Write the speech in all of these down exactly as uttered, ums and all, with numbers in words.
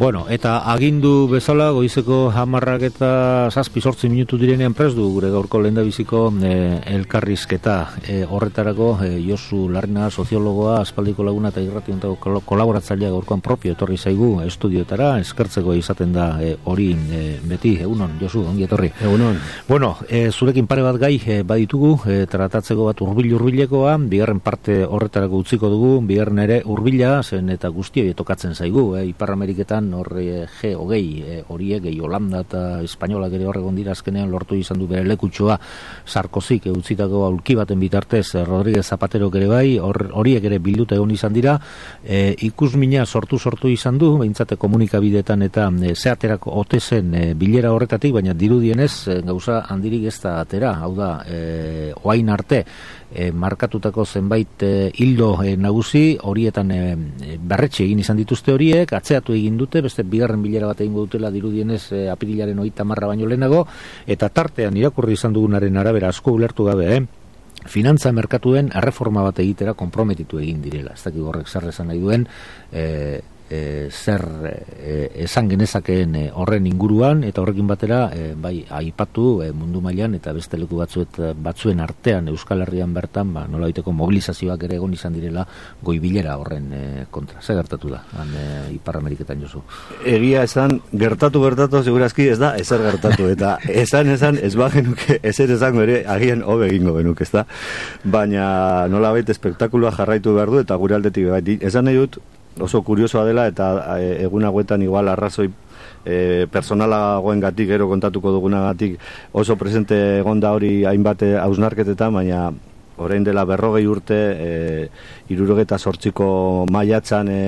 Bueno, eta agindu bezala goizeko hamarrak eta zazpi sortzi minutu direnean prest du gure gaurko lehendabiziko e, elkarrizketa e, horretarako e, Josu Larrina soziologoa, aspaldiko laguna eta irrati hontako kolaboratzailea gaurkoan propio etorri zaigu estudioetara, eskertzeko izaten da e, hori e, beti, egunon, Josu, ongi etorri. Egunon. Bueno, e, zurekin pare bat gai e, baditugu, e, tratatzeko bat hurbil-hurbilekoa, bigarren parte horretarako utziko dugu, bigarren ere hurbila, zen eta guztioi tokatzen zaigu, e, Ipar Ameriketan horre G hogei horiek, gehi Holanda eta Espainolak ere horregon dira azkenean lortu izan du bere lekutxoa Sarkozik utzitako aulki baten bitartez Rodríguez Zapatero ere bai, horiek ere bilduta egon izan dira, e, ikusmina sortu sortu izan du, behintzate komunikabideetan eta e, zeaterako ote zen e, bilera horretatik, baina dirudienez e, gauza handirik ez da atera, hau da, e, oain arte, E, markatutako zenbait e, hildo e, nagusi horietan e, berretxe egin izan dituzte horiek, atzeatu egin dute, beste bigarren bilera bat egingo dutela dirudienez e, apirilaren hogeita marra baino lehenago, eta tartean irakurri izan dugunaren arabera asko ulertu gabe, eh? Finantza merkatuen erreforma bat egitera konprometitu egin direla, ez dakik horrek zer esan nahi duen, e, E, zer e, esan genezakeen e, horren inguruan eta horrekin batera e, bai aipatu e, mundu mailan eta beste leku batzuet, batzuen artean Euskal Herrian bertan ba, nola baiteko mobilizazioak ere egon izan direla goibilera horren e, kontra. Zer gertatu da han e, Ipar Ameriketan, Josu? Egia esan, gertatu gertatu segurazki ez da ezer gertatu eta esan esan ez bagenuke ezer esango ere agian hobe egingo genuke, ez da? Baina nola baita espektakuloa jarraitu behar du eta gure aldetik bai, esan nahi dut oso kuriosoa dela eta egun hauetan igual arrazoi e, personalagoengatik gero kontatuko dugunagatik oso presente egon da hori hainbat hausnarketetan, baina orain dela berrogei urte e, hirurogeta zortziko maiatzan e,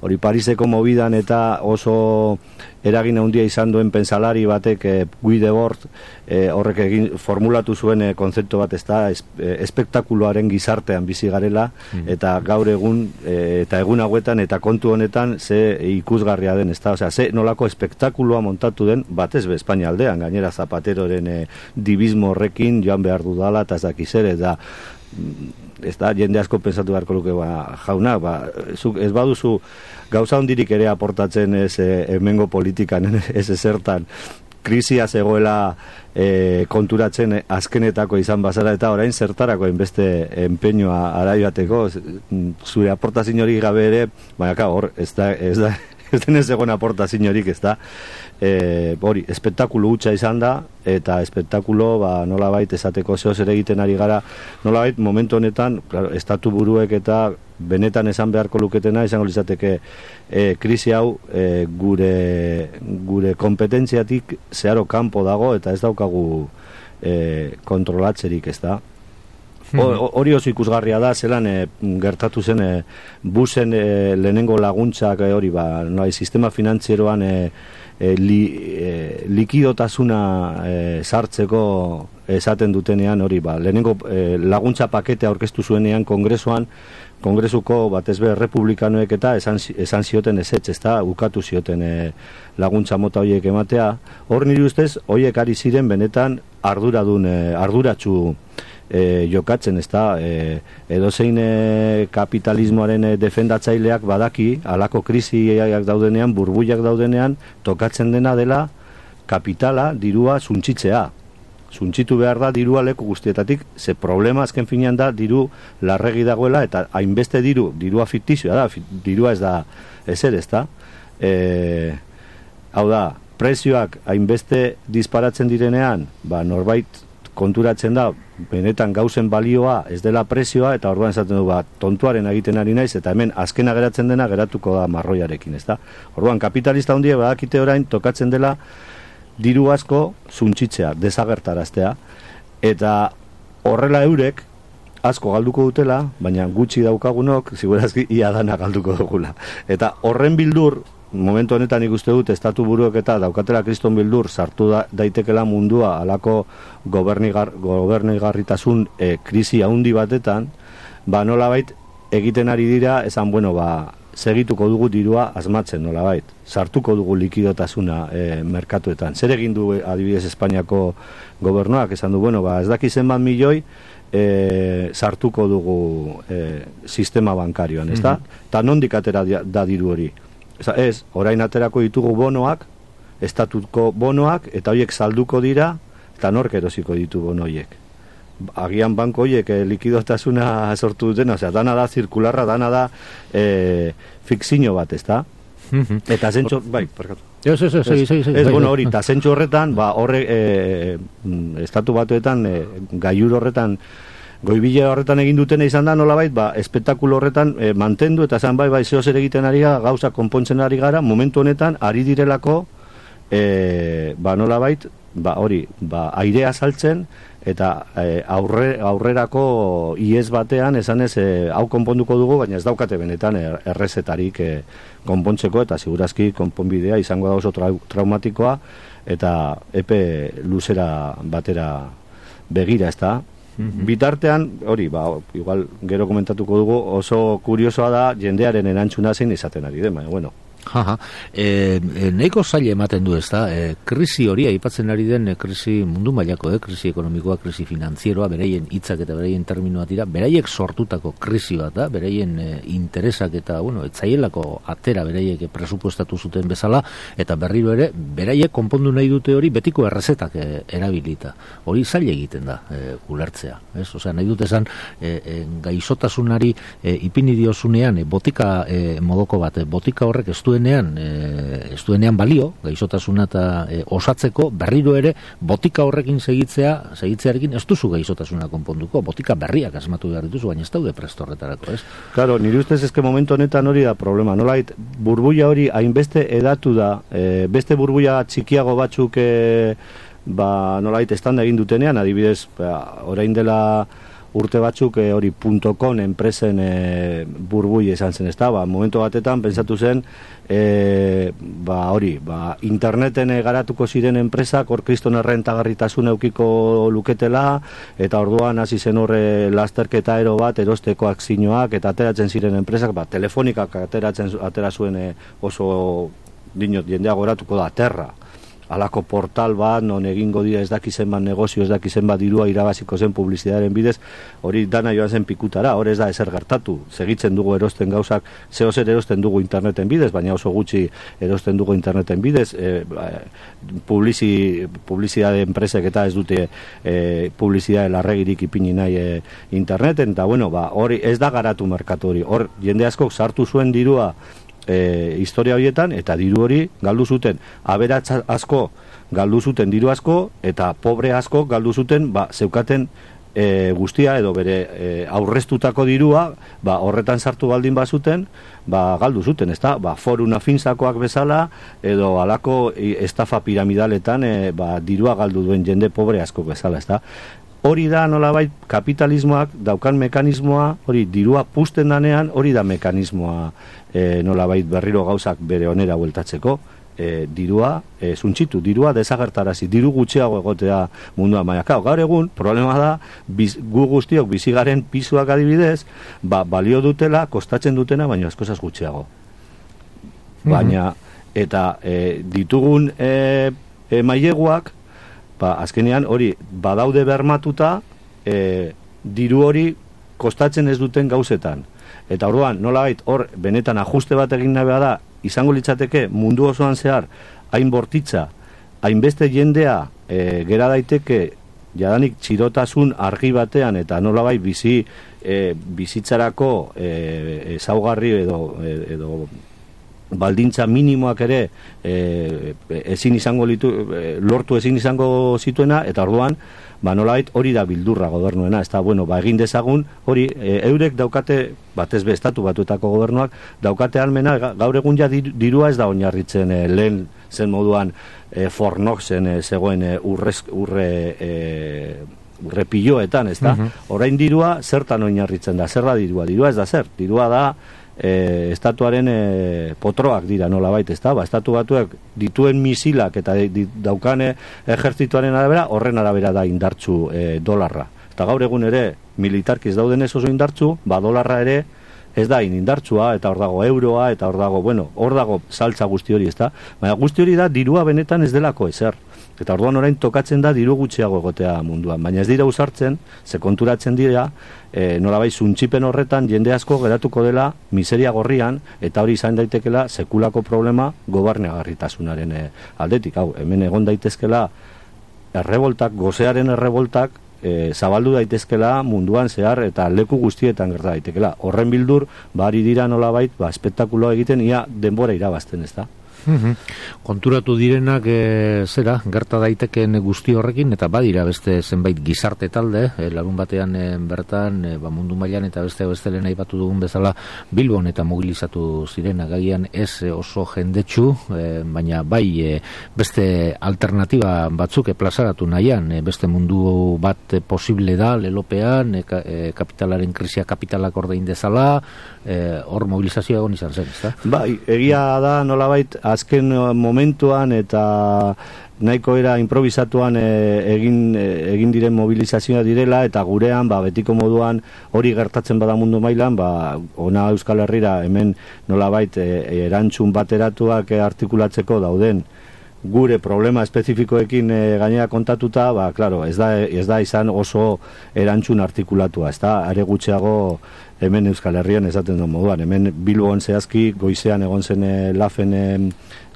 hori Pariseko mobidan eta oso eragin handia izan duen pentsalari batek e, Guy Debord e, horrek egin formulatu zuen e, kontzeptu bat, ez da, es, e, espektakuloaren gizartean bizi garela, mm. eta gaur egun e, eta egun hauetan eta kontu honetan ze ikusgarria den, ez da, osea, ze nolako espektakuloa montatu den batez be Espainia aldean, gainera Zapateroren e, dibismo horrekin joan behar dudala eta ez dakiz ere, da ez da, jende asko pensatu beharko luke, ba, jauna, ba, zuk ez baduzu gauza hondirik ere aportatzen ez e, hemengo politikan, ez ezertan, krisia zegoela e, konturatzen azkenetako izan bazara eta orain zertarako hainbeste enpeñoa araibateko, zure aportazio hori gabe ere, baina hor, ez da, ez da, ez denez egon aportazio horik, ez da, e, hori, espektakulu hutsa izan da, eta espektakulo, ba, nola bait, esateko zehoz ere egiten ari gara, nola bait, momentu honetan, claro, estatu buruek eta benetan esan beharko luketena, izango izateke e, krisi hau e, gure, gure kompetentziatik zeharo kanpo dago, eta ez daukagu e, kontrolatzerik, ez da. Hori oso ikusgarria da, zelan e, gertatu zen e, busen e, lehenengo laguntzak e, hori, ba, no, sistema finantzieroan e, e, li, e, likidotasuna e, sartzeko esaten dutenean hori, ba, lehenengo e, laguntza pakete aurkeztu zuenean kongresuan, kongresuko batez be republikanoek eta esan, esan zioten ezetz, ez da, ukatu zioten e, laguntza mota horiek ematea. Hor nire ustez, horiek ari ziren benetan arduradun, e, arduratsu E, jokatzen, ez da, e, edozein e, kapitalismoaren e, defendatzaileak badaki, halako krisiak daudenean, burbuiak daudenean, tokatzen dena dela kapitala, dirua suntzitzea. Suntzitu behar da dirua leku guztietatik, ze problema azken finean da diru larregi dagoela, eta hainbeste diru, dirua fiktizioa da, dirua ez da, ezer, ez da. E, hau da, prezioak hainbeste disparatzen direnean, ba, norbait konturatzen da, benetan gauzen balioa ez dela prezioa, eta orduan esaten du, ba, tontuaren egiten ari naiz, eta hemen azkena geratzen dena geratuko da marroiarekin, ez da? Orduan, kapitalista handia badakite orain tokatzen dela diru asko suntzitzea, desagertaraztea, eta horrela eurek asko galduko dutela, baina gutxi daukagunok, segurazki ia dana galduko dugula. Eta horren bildur, momentu honetan ikuste dut, estatu buruek eta daukatela kriston bildur sartu da, daitekela mundua alako gobernigar, gobernigarritasun e, krisi handi batetan, ba nolabait egiten ari dira, esan, bueno, ba, segituko dugu dirua asmatzen nolabait, sartuko dugu likidotasuna e, merkatuetan. Zer egin du adibidez Espainiako gobernuak, esan du, bueno, ba, ez daki zenbat milioi, E, sartuko dugu e, sistema bankarioan, ez da? Eta nondik atera da diru hori? Ez, orain aterako ditugu bonoak, estatuko bonoak, eta horiek salduko dira, eta nork erosiko ditu bono horiek. Agian banko horiek eh, likidotasuna sortu dutena, osea, dana da zirkularra, dana da eh, fikzio bat, ez da? Eta zentxo, bai, parkatu. Ez, ez, ez, ez, ez, ez, bueno, hori, eta zentxo horretan, ba, horre, e, estatu batuetan, e, gaiur horretan, goibile horretan egin dutena izan da, nolabait, ba, espektakulo horretan e, mantendu, eta zan bai, bai, zeo zer egiten ari gara, gauza konpontzen ari gara, momentu honetan, ari direlako, e, ba, nolabait, ba, hori, ba, airea saltzen, eta e, aurre, aurrerako iez batean, esan ez, e, hau konponduko dugu, baina ez daukate benetan er, errezetarik e, konpontzeko, eta segurazki konponbidea izango da oso trau, traumatikoa, eta epe luzera batera begira, ez da. Mm-hmm. Bitartean, hori, ba, igual gero komentatuko dugu, oso kuriosoa da jendearen erantzuna zein izaten ari den, baina, bueno. Jaja, e, e, nahiko zaila ematen du ez da, e, krisi hori, aipatzen ari den e, krisi mundu mailako, e, krisi ekonomikoa, krisi finanzieroa, beraien hitzak eta beraien terminoa dira, beraiek sortutako krisi bat da, beraien e, interesak eta, bueno, etzaielako atera beraiek presupuestatu zuten bezala, eta berriro ere, beraiek konpondu nahi dute hori betiko errezetak e, erabilita. Hori zaila egiten da, e, ulertzea, ez? Osea, nahi dute esan, e, e, gaixotasunari e, ipini diozunean, e, botika e, modoko bat, e, botika horrek ez duenean, e, ez duenean balio, gaixotasuna eta e, osatzeko, berriro ere, botika horrekin segitzea, segitzearekin ez duzu gaixotasuna konponduko, botika berriak asmatu behar dituzu, baina ez daude presto horretarako, ez? Claro, nire ustez ezke momentu honetan hori da problema, nolait, burbuia hori hainbeste edatu da, e, beste burbuia txikiago batzuk, e, ba, nolait, estanda egin dutenean, adibidez, ba, orain dela urte batzuk e, hori .com enpresen e, burbui esan zen, ez da, ba, momentu batetan pentsatu zen, e, ba, hori, ba, interneten e, garatuko ziren enpresak hor kriston errentagarritasun eukiko luketela, eta orduan hasi zen horre lasterketa ero bat, erosteko akzinoak, eta ateratzen ziren enpresak, ba, telefonikak ateratzen, atera zuen e, oso, dinot, jendea goratuko da, terra, alako portal bat, non egingo dira ez dakizen bat negozio, ez dakizen bat dirua irabaziko zen publizidaren bidez, hori dana joan zen pikutara, hori ez da ezer gertatu, segitzen dugu erosten gauzak, zeo zer erosten dugu interneten bidez, baina oso gutxi erosten dugu interneten bidez, e, publizi, publizidade enpresek eta ez dute e, publizidade larregirik ipini nahi e, interneten, eta bueno, ba, hori ez da garatu merkatu hori, hor jende askok sartu zuen dirua, E, historia horietan, eta diru hori galdu zuten, aberatz asko galdu zuten diru asko, eta pobre asko galdu zuten, ba, zeukaten e, guztia, edo bere e, aurreztutako dirua, ba, horretan sartu baldin bazuten, ba, galdu zuten, ezta? Ba, foruna finzakoak bezala, edo alako estafa piramidaletan, e, ba, dirua galdu duen jende pobre asko bezala, ezta? Hori da nolabait kapitalismoak daukan mekanismoa, hori dirua pusten danean, hori da mekanismoa e, nolabait berriro gauzak bere onera bueltatzeko, e, dirua e, zuntxitu, dirua desagertarazi, diru gutxiago egotea mundua maiakao. Gaur egun, problema da, biz, gu guztiok bizigaren pisuak adibidez, ba, balio dutela, kostatzen dutena, baina eskozaz gutxiago. Baina, eta e, ditugun e, e, maileguak, ba, azkenean hori badaude bermatuta, e, diru hori kostatzen ez duten gauzetan. Eta orduan, nolabait, hor benetan ajuste bat egin nahi da, izango litzateke mundu osoan zehar, hain bortitza, hainbeste jendea e, gera daiteke jadanik txirotasun argi batean, eta nolabait bizi, e, bizitzarako e, ezaugarri edo, edo baldintza minimoak ere e, ezin izango litu, e, lortu ezin izango zituena, eta orduan, ba nolabait hori da bildurra gobernuena, ez da, bueno, ba egin dezagun, hori, e, eurek daukate, batez be estatu batuetako gobernuak, daukate almena, gaur egun ja dirua ez da oinarritzen e, lehen zen moduan e, fornok zen e, zegoen e, urrez, urre... E, urrepiloetan, ez da? Uh-huh. Orain dirua zertan oinarritzen da, zer da dirua? Dirua ez da zer, dirua da e, estatuaren e, potroak dira nolabait, ez da? Ba, estatu batuak dituen misilak eta di, daukane ejertzituaren arabera, horren arabera da indartzu e, dolarra. Eta gaur egun ere, militarkiz dauden ez oso indartzu, ba dolarra ere ez da indartsua, eta hor dago euroa, eta hor dago, bueno, hor dago saltza guzti hori, ez da? Baina guzti hori da dirua benetan ez delako ezer. Eta orduan orain tokatzen da diru gutxiago egotea munduan, baina ez dira usartzen, ze konturatzen dira, e, nolabait zuntxipen horretan jende asko geratuko dela miseria gorrian, eta hori izan daitekela sekulako problema gobernagarritasunaren e, aldetik. Hau, hemen egon daitezkela erreboltak, gozearen erreboltak, e, zabaldu daitezkela munduan zehar eta leku guztietan gerta daitekela. Horren bildur, bari dira nolabait, ba, espektakuloa egiten, ia denbora irabazten, ez da? Uhum. Konturatu direnak e, zera, gerta daiteken guzti horrekin, eta badira beste zenbait gizarte talde, e, larun batean e, bertan, e, ba, mundu mailan eta beste beste lehen aipatu dugun bezala Bilbon eta mobilizatu zirenak, agian ez e, oso jendetsu, e, baina bai e, beste alternatiba batzuk e, plazaratu nahian, e, beste mundu bat e, posible da, lelopean, e, ka, e, kapitalaren krisia kapitalak ordein dezala, hor e, mobilizazioa egon izan zen, ez da? Bai, egia da nolabait, azken momentuan eta nahiko era improvisatuan e, egin, e, egin diren mobilizazioa direla, eta gurean ba, betiko moduan hori gertatzen bada mundu mailan, ba, ona Euskal Herrira hemen nolabait e, erantzun bateratuak e, artikulatzeko dauden gure problema espezifikoekin e, gainera kontatuta, ba, claro, ez da, ez da izan oso erantzun artikulatua, ez da, are gutxiago hemen Euskal Herrian esaten duen moduan, hemen Bilbon zehazki goizean egon zen e, lafen e,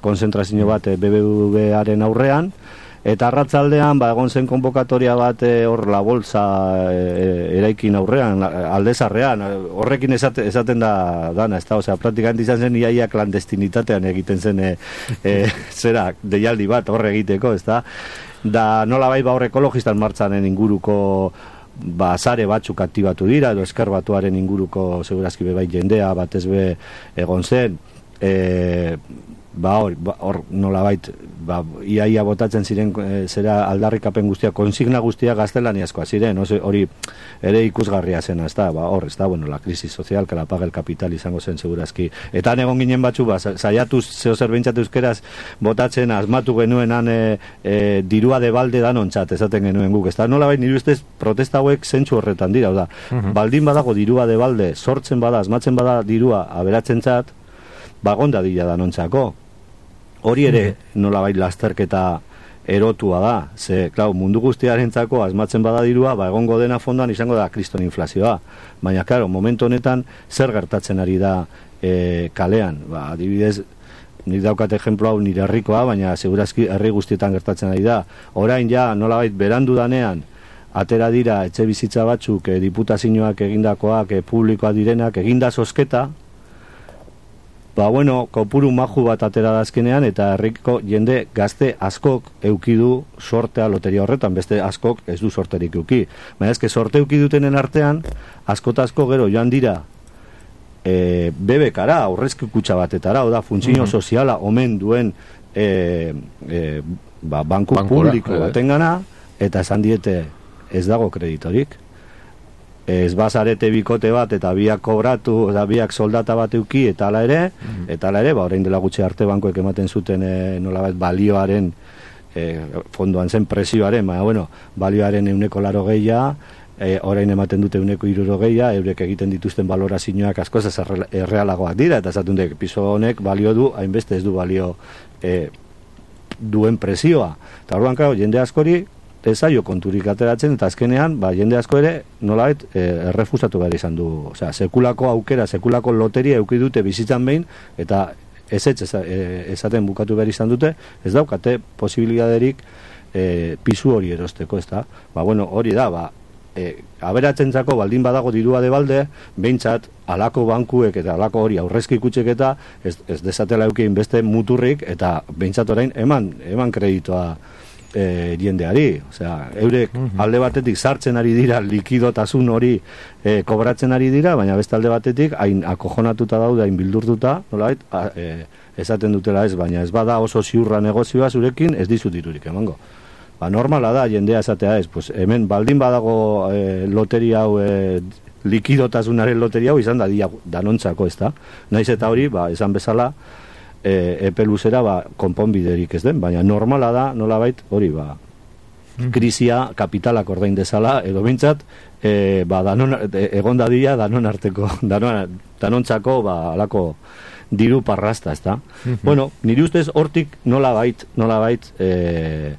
konzentrazio bat e, B B V-aren aurrean, eta arratzaldean ba, egon zen konbokatoria bat e, hor la bolsa e, eraikin aurrean, aldezarrean, horrekin esate, esaten da dana, ez da, osea, praktikant izan zen iaia klandestinitatean egiten zen e, e, zera, deialdi bat horre egiteko, ez da, da nola bai ba hor ekologistan martzanen inguruko ba, zare batzuk aktibatu dira, edo esker batuaren inguruko segurazki bebai jendea batez be egon zen, e, ba hor, ba, hor nolabait ba, iaia botatzen ziren e, zera aldarrikapen guztia, konsigna guztia gaztelaniazkoa ziren, ose, hori ere ikusgarria zena, ez da, ba, hor, ez da, bueno, la crisis social, que la paga el capital izango zen segurazki, eta egon ginen batzu, ba, saiatuz zeo zer behintzat euskeraz botatzen, asmatu genuenan e, e, dirua de balde danontzat, esaten genuen guk, ez da, nolabait nire ustez protesta hauek zentsu horretan dira, da, uh-huh. Baldin badago dirua de balde, sortzen bada, asmatzen bada dirua aberatzen zat, bagonda dira danontzako. Hori ere nolabait lasterketa erotua da, ze, klau, mundu guztiarentzako asmatzen bada dirua, ba, egongo dena fondoan izango da kriston inflazioa. Baina, klaro, momentu honetan zer gertatzen ari da e, kalean. Ba, adibidez, nik daukat ejemplo hau nire herrikoa, baina segurazki herri guztietan gertatzen ari da. Orain ja, nolabait, berandu danean, atera dira etxe bizitza batzuk, e, diputazioak egindakoak, e, publikoak direnak, eginda zozketa, ba, bueno, kopuru maju bat atera dazkenean, eta herriko jende gazte askok eukidu sortea loteria horretan, beste askok ez du sorterik euki. Baina ezke sorte euki dutenen artean, askotazko gero joan dira e, bebekara, aurrezki kutxa batetara, oda, funtzio mm-hmm. soziala omen duen e, e, ba, banku Bankura, publiko batengana, eta esan diete ez dago kreditorik. Ez bazarete bikote bat eta biak kobratu, eta biak soldata bat euki, eta ala ere, mm-hmm. eta ala ere, ba, orain dela gutxi arte bankoek ematen zuten e, nolabait balioaren, e, fondoan zen presioaren, baina, bueno, balioaren euneko laro gehia, e, orain ematen dute euneko iruro gehia, eurek egiten dituzten balorazioak askoz ez errealagoak dira, eta esaten dut, piso honek balio du, hainbeste ez du balio e, duen presioa. Eta orduan, claro, jende askori, ezaio konturik ateratzen, eta azkenean, ba, jende asko ere, nolabait, e, errefusatu behar izan du. Osea, sekulako aukera, sekulako loteria euki dute bizitzan behin, eta ez ez ezaten bukatu behar izan dute, ez daukate posibilidaderik e, pisu hori erosteko, ez da. Ba, bueno, hori da, ba, e, aberatzentzako baldin badago dirua de balde, behintzat, alako bankuek eta alako hori aurrezki kutsek eta ez, ez desatela eukin beste muturrik, eta behintzat orain eman, eman kreditoa E, jendeari, osea, eurek uh-huh. alde batetik sartzen ari dira likidotasun hori e, kobratzen ari dira, baina beste alde batetik hain akojonatuta daude, hain bildurtuta, nolait, e, esaten dutela ez, baina ez bada oso ziurra negozioa zurekin, ez dizut dirurik emango. Ba, normala da, jendea esatea ez, pues, hemen baldin badago e, loteria hau, e, likidotasunaren loteria hau izan da dia danontzako, ez da? Naiz eta hori, ba, esan bezala, E, epe luzera ba, konponbiderik ez den, baina normala da, nolabait, hori ba, krisia kapitalak ordain dezala, edo bintzat, e, ba, danon, e, egon dadila danon arteko, danon, danontzako, ba, alako diru parrasta, ez da? Mm-hmm. Bueno, niri ustez hortik nolabait, nolabait, e,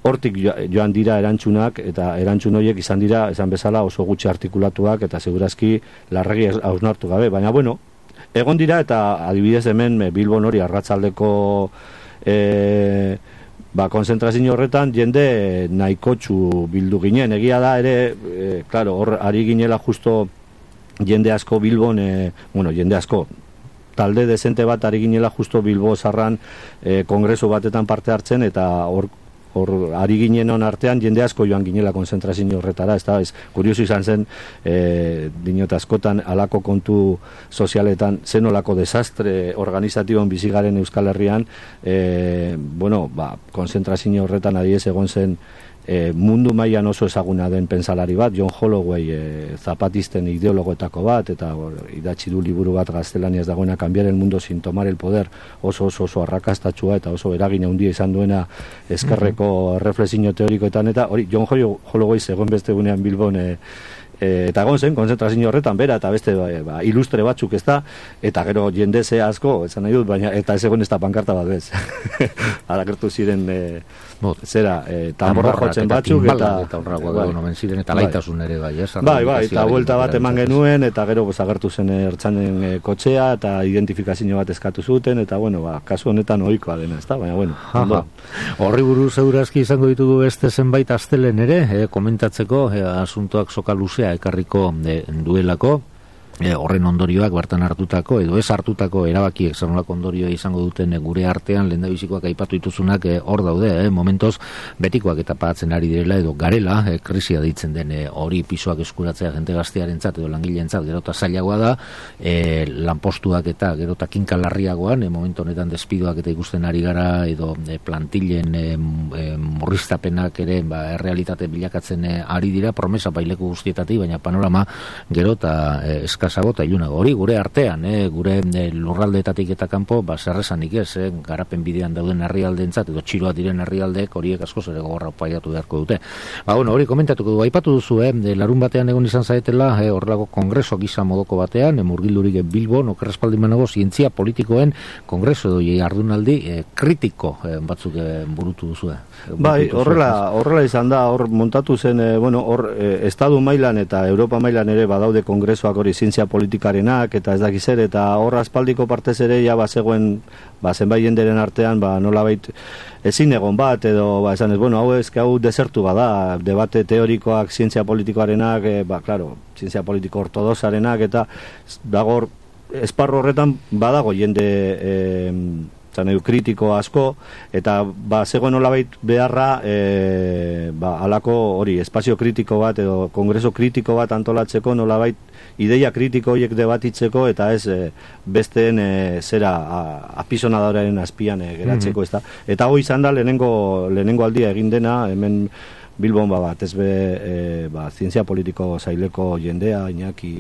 hortik joan dira erantzunak, eta erantzun horiek izan dira, esan bezala, oso gutxi artikulatuak, eta segurazki larregi hausnartu gabe. Baina, bueno, egon dira, eta adibidez hemen Bilbon hori arratsaldeko e, ba, konzentrazio horretan jende nahikotxu bildu ginen. Egia da ere, e, claro, hor ari ginela justo jende asko Bilbon, e, bueno, jende asko, talde dezente bat ari ginela justo Bilbo zarran e, kongreso batetan parte hartzen, eta hor hor ari ginenon artean jende asko joan ginela konzentrazio horretara, ez da, ez, kurioso izan zen, e, dinot askotan alako kontu sozialetan zenolako desastre organizatibon bizigaren Euskal Herrian, e, bueno, ba, konzentrazio horretan adiez egon zen E, mundu mailan oso ezaguna den pentsalari bat, John Holloway, e, zapatisten ideologoetako bat, eta or, idatzi du liburu bat gaztelaniaz dagoena, Cambiar el mundo sin tomar el poder, oso oso oso arrakastatxua eta oso eragin handia izan duena ezkerreko reflexio teorikoetan, eta hori John Holloway zegoen beste gunean Bilbon, e, E, eta egon zen, konzentrazio horretan bera, eta beste ba, ba, ilustre batzuk ez da, eta gero jende ze asko, esan nahi dut, baina eta ez egon ez da pankarta bat bez. Arakertu ziren e, zera, e, tamborra jotzen batzuk, eta eta horragoa bai, nomen ziren, eta laitasun ere bai, ez? Bai, bai, eta buelta bat eman genuen, eta gero pues, agertu zen ertzanen e, kotxea, eta identifikazio bat eskatu zuten, eta bueno, ba, kasu honetan ohikoa dena, ez da, baina bueno. Horri buruz segurazki izango ditugu beste zenbait astelen ere, e, komentatzeko, e, asuntoak soka luzea ekarriko e, duelako, e, horren ondorioak bertan hartutako edo ez hartutako erabakiek zenolako ondorioa izango duten e, gure artean lehendabizikoak aipatu dituzunak e, hor daude, e, momentoz betikoak eta pagatzen ari direla edo garela, e, krisia deitzen den e, hori pisoak eskuratzea jente gaztearentzat edo langileentzat gerota zailagoa da, e, lanpostuak eta gerota kinkalarriagoan, e, momentu honetan despidoak eta ikusten ari gara edo e, plantillen e, e, murriztapenak ere ba, errealitate bilakatzen e, ari dira, promesa baileku guztietatik, baina panorama gerota e, eskazago eta ilunago. Hori gure artean, eh, gure eh, lurraldeetatik eta kanpo, ba, zerrezanik ez, eh, garapen bidean dauden herrialdeentzat edo txiroa diren herrialdeek horiek askoz ere gogorra paiatu beharko dute. Ba, bueno, hori komentatuko du, aipatu duzu, eh, larun batean egon izan zaetela, eh, horrelako kongreso gisa modoko batean, eh, murgildurik Bilbon, okerrespaldimanago zientzia politikoen kongreso doi ardunaldi eh, kritiko eh, batzuk eh, burutu duzu. Eh. Bai, horrela, horrela izan da, hor montatu zen, eh, bueno, hor eh, Estadu mailan eta Europa mailan ere badaude kongresoak hori zientzia politikarenak eta ez dakiz ere, eta hor aspaldiko partez ere ja bazegoen ba, zenbait jenderen artean ba, nolabait ezin egon bat edo ba, esan ez, bueno, hau ez, hau desertu bada, debate teorikoak zientzia politikoarenak, e, ba, claro, zientzia politiko ortodoxarenak eta dago esparro horretan badago jende e, zaneu, kritiko asko, eta ba, zegoen nolabait beharra e, ba, alako hori, espazio kritiko bat edo kongreso kritiko bat antolatzeko nolabait ideia kritiko horiek debatitzeko eta ez e, besteen e, zera apisonadoraren azpian e, geratzeko, mm-hmm. ez da. Eta hoi izan da lehenengo, lehenengo aldia egin dena, hemen Bilbon ba, bat, ez be, e, ba, zientzia politiko zaileko jendea, Iñaki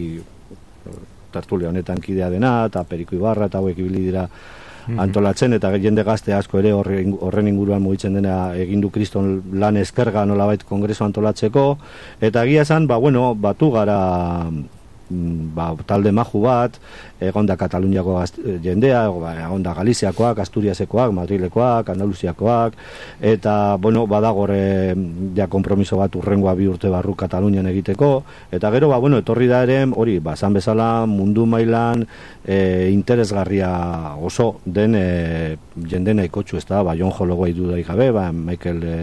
tertulia honetan kidea dena, eta Periko Ibarra, eta hauek ibili dira antolatzen, eta jende gazte asko ere horren, horren inguruan mugitzen dena egindu kriston lan eskerga nolabait kongreso antolatzeko, eta egia esan, ba, bueno, batu gara ba, talde maju bat, egon da Kataluniako jendea, egon da Galiziakoak, Asturiasekoak, Madrilekoak, Andaluziakoak, eta, bueno, badagore ja kompromiso bat urrengoa bi urte barru Katalunian egiteko, eta gero, ba, bueno, etorri da ere, hori, ba, zan bezala mundu mailan e, interesgarria oso den e, jende nahikotxu, ez da, ba, John Holloway dudaik gabe, ba, Michael e,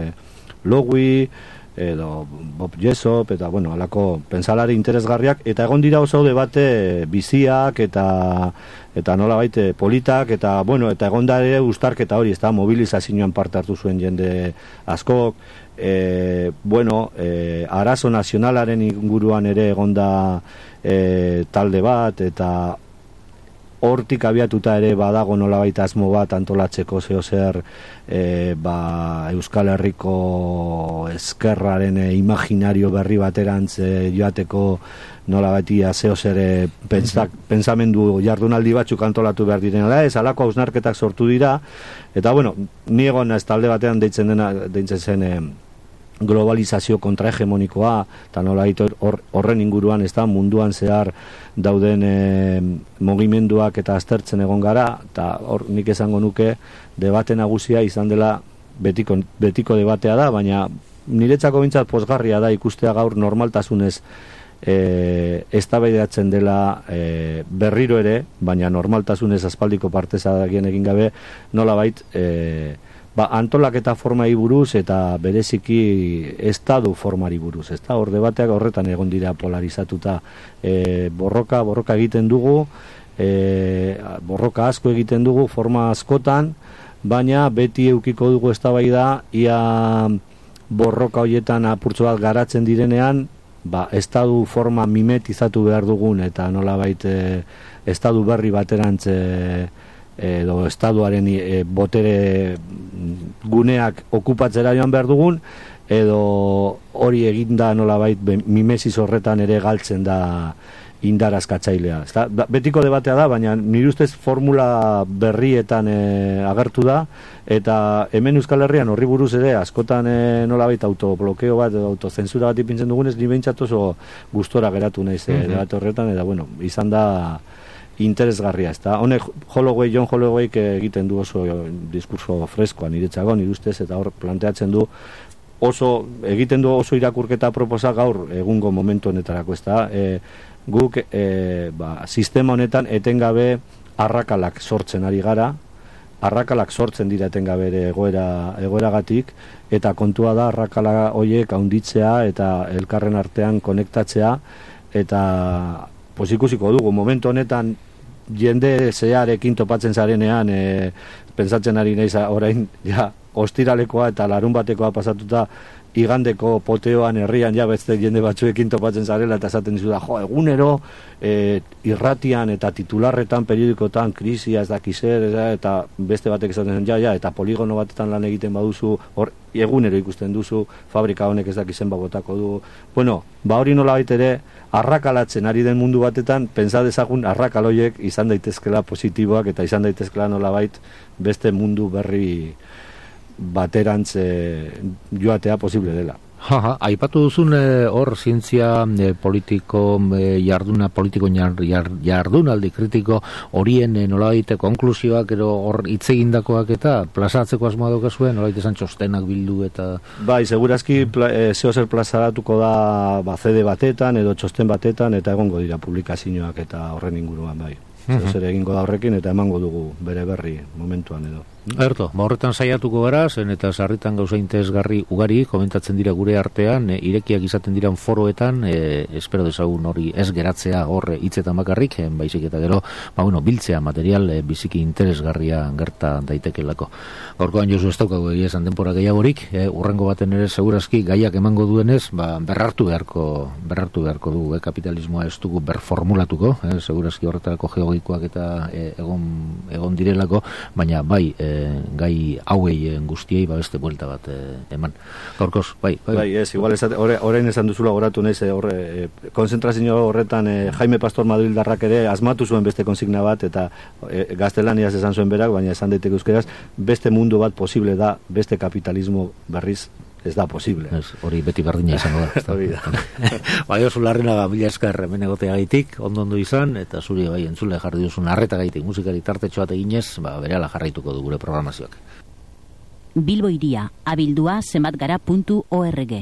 Lowy, edo Bob Jessop, eta bueno, alako pentsalari interesgarriak, eta egon dira oso debate biziak eta eta nola baite politak, eta bueno, eta egon da ere uztarketa hori, ez da, mobilizazioan parte hartu zuen jende askok, e, bueno, e, arazo nazionalaren inguruan ere egon da e, talde bat, eta hortik abiatuta ere badago nolabait asmo bat antolatzeko zeo zer e, ba, Euskal Herriko ezkerraren e, imaginario berri baterantz e, joateko nolabaitia zeo zer e, pentsak, pensamendu jardunaldi batzuk antolatu behar direna, ez alako hausnarketak sortu dira, eta bueno, ni egon ez talde batean deitzen dena, deitzen zen e, globalizazio kontrahegemonikoa, eta nola hor, horren inguruan ez da munduan zehar dauden e, mugimenduak eta aztertzen egon gara, eta hor nik esango nuke debate nagusia izan dela betiko, betiko debatea da, baina niretzako bintzat pozgarria da ikustea gaur normaltasunez e, eztabaidatzen dela e, berriro ere, baina normaltasunez aspaldiko partezadakien egin gabe, nolabait e, ba, antolaketa formai buruz eta bereziki estadu formari buruz, ezta? Hor debateak horretan egon dira polarizatuta. E, borroka, borroka egiten dugu, e, borroka asko egiten dugu, forma askotan, baina beti eukiko dugu eztabaida ia borroka horietan apurtxo bat garatzen direnean, ba, estadu forma mimetizatu behar dugun eta nolabait e, estadu berri baterantz e, edo estaduaren e, botere guneak okupatzera joan behar dugun, edo hori eginda nolabait mimesis horretan ere galtzen da indar askatzailea. Ezta? Betiko debatea da, baina nire ustez formula berrietan e, agertu da, eta hemen Euskal Herrian horri buruz ere askotan e, nolabait autoblokeo bat edo autozensura bat ipintzen dugunez, ni behintzat oso gustora geratu naiz e, debate horretan, eta bueno, izan da interesgarria, ezta? Honek Holloway, John Holloway egiten du oso diskurso freskoa niretzako, nire ustez, eta hor planteatzen du oso, egiten du oso irakurketa proposa gaur egungo momentu honetarako, ezta? E, guk e, ba, sistema honetan etengabe arrakalak sortzen ari gara, arrakalak sortzen dira etengabe ere egoera, egoeragatik, eta kontua da arrakala horiek haunditzea eta elkarren artean konektatzea, eta pues ikusiko dugu, momentu honetan jende zeharekin topatzen zarenean, e, pentsatzen ari naiz orain ja, ostiralekoa eta larun batekoa pasatuta igandeko poteoan herrian ja beste jende batzuekin topatzen zarela eta esaten dizu da, jo, egunero e, irratian eta titularretan, periodikotan, krisia ez dakizer, eta beste batek esaten zen, ja, ja, eta poligono batetan lan egiten baduzu, hor, egunero ikusten duzu, fabrika honek ez dakizen bagotako du. Bueno, ba hori nola baita ere, arrakalatzen ari den mundu batetan, pentsa dezagun arrakaloiek izan daitezkela positiboak eta izan daitezkela nolabait beste mundu berri baterantz e, joatea posible dela. Jaja, aipatu duzun hor e, zientzia e, politiko e, jarduna, politiko jar, jar, jardunaldi kritiko horien e, nolabait konklusioak ero hor hitzegindakoak eta plazatzeko asmoa daukazuen, nolabait esan txostenak bildu eta... Bai, segurazki pla, e, zeo zer plazaratuko da ba, C D batetan edo txosten batetan eta egongo dira publikazioak eta horren inguruan, bai. Zeo zer egingo da horrekin eta emango dugu bere berri momentuan edo. Erto, ba horretan saiatuko gara, zen eta sarritan gauza interesgarri ugari, komentatzen dira gure artean, e, irekiak izaten diran foroetan, e, espero dezagun hori ez geratzea hor hitzetan bakarrik, e, baizik eta gero, ba bueno, biltzea material e, biziki interesgarria gerta daitekelako. Gaurkoan Josu ez daukagu egia esan denbora gehiagorik, e, urrengo baten ere segurazki gaiak emango duenez, ba berrartu beharko, berrartu beharko du, e, kapitalismoa ez dugu berformulatuko, e, segurazki horretarako geologikoak eta e, egon, egon direlako, baina bai, e, gai hauei guztiei ba beste buelta bat e, eman. Gaurkoz, bai, bai. Bai, ez, igual esate, ore, orain esan duzula goratu naiz, horre, e, konzentrazio horretan e, Jaime Pastor Madrildarrak ere asmatu zuen beste konsigna bat, eta e, gaztelaniaz esan zuen berak, baina esan daiteke euskeraz, beste mundu bat posible da, beste kapitalismo berriz ez da posible. Ez, hori beti berdina izango da. Hori da. Bai, oso larrena mila esker hemen egoteagaitik, ondo ondo izan, eta zuri bai entzule jarri duzun arretagaitik musikari tartetxo bat eginez, ba, berehala jarraituko du gure programazioak. Bilbo Hiria, abildua zenbatgara puntu org